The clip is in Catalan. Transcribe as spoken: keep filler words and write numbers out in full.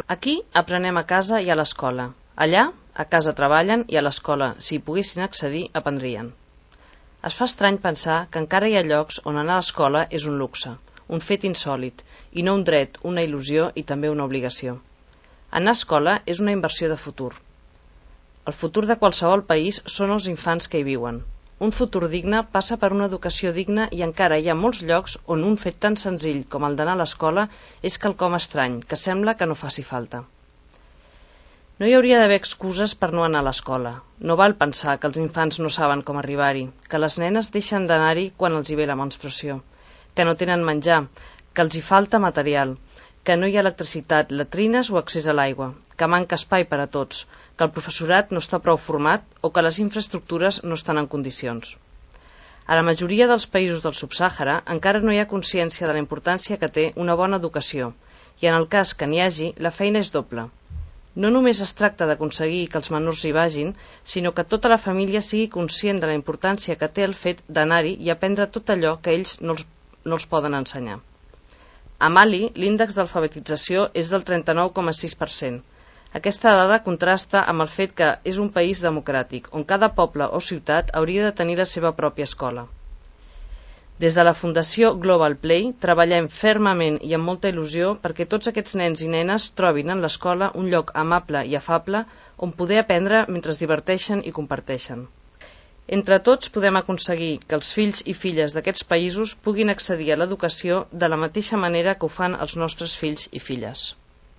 Aquí aprenem a casa i a l'escola. Allà, a casa treballen i a l'escola, si hi poguessin accedir, aprendrien. Es fa estrany pensar que encara hi ha llocs on anar a l'escola és un luxe, un fet insòlit, i no un dret, una il·lusió i també una obligació. Anar a escola és una inversió de futur. El futur de qualsevol país són els infants que hi viuen. Un futur digne passa per una educació digna i encara hi ha molts llocs on un fet tan senzill com el d'anar a l'escola és quelcom estrany, que sembla que no faci falta. No hi hauria d'haver excuses per no anar a l'escola. No val pensar que els infants no saben com arribar-hi, que les nenes deixen d'anar-hi quan els hi ve la menstruació, que no tenen menjar, que els hi falta material, que no hi ha electricitat, latrines o accés a l'aigua, que manca espai per a tots, que el professorat no està prou format o que les infraestructures no estan en condicions. A la majoria dels països del subsàhara encara no hi ha consciència de la importància que té una bona educació i en el cas que n'hi hagi, la feina és doble. No només es tracta d'aconseguir que els menors hi vagin, sinó que tota la família sigui conscient de la importància que té el fet d'anar-hi i aprendre tot allò que ells no els, no els poden ensenyar. A Mali, l'índex d'alfabetització és del trenta-nou coma sis per cent. Aquesta dada contrasta amb el fet que és un país democràtic, on cada poble o ciutat hauria de tenir la seva pròpia escola. Des de la Fundació Global Play treballem fermament i amb molta il·lusió perquè tots aquests nens i nenes trobin en l'escola un lloc amable i afable on poder aprendre mentre es diverteixen i comparteixen. Entre tots podem aconseguir que els fills i filles d'aquests països puguin accedir a l'educació de la mateixa manera que ho fan els nostres fills i filles.